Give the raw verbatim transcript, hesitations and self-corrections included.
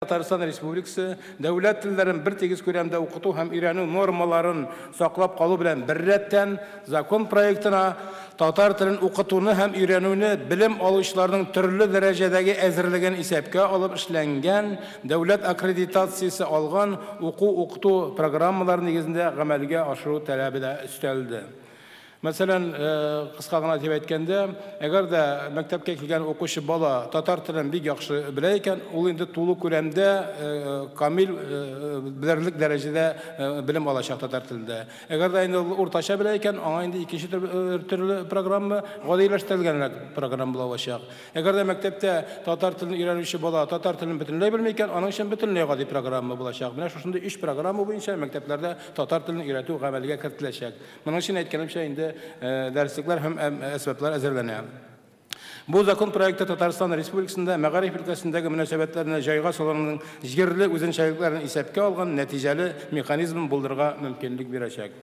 Татарстан Республикасы дәүләт телләрен бер тигез күләмдә укыту һәм өйрәнү нормаларын саклап калу белән беррәттән закон проектына татар телен укытуны һәм өйрәнүне белем алучыларның төрле дәрәҗәдәге әзерлеген исәпкә алып эшләнгән дәүләт аккредитациясе алган уку-укыту программалары нигезендә гамәлгә ашыру таләбе дә өстәлде. Мәсәлән, кыска гына дип әйткәндә, әгәр дә мәктәпкә килгән укучы бала татар телен бик яхшы белә икән, ул инде тулы күләмдә камил белерлек дәрәҗәдә белем алачак татар телендә. Әгәр дә инде ул уртача белә икән, аңа инде икенче төрле программа, гадиләштерелгәнрәк программа булачак. Әгәр дә мәктәптә татар телен өйрәнүче бала татар телен бөтенләй белми икән, аның өчен бөтенләй гади программа булачак. Менә шушындый өч программа буенча мәктәпләрдә татар телен өйрәтү гамәлгә кертеләчәк. Моның өчен әйткәнемчә инде дәреслекләр һәм әсбаплар әзерләнә. Бу закон проекты Татарстан Республикасында мәгариф өлкәсендәге мөнәсәбәтләрне җайга салуның җирле үзенчәлекләрен исәпкә алган нәтиҗәле механизм булдырырга мөмкинлек бирәчәк.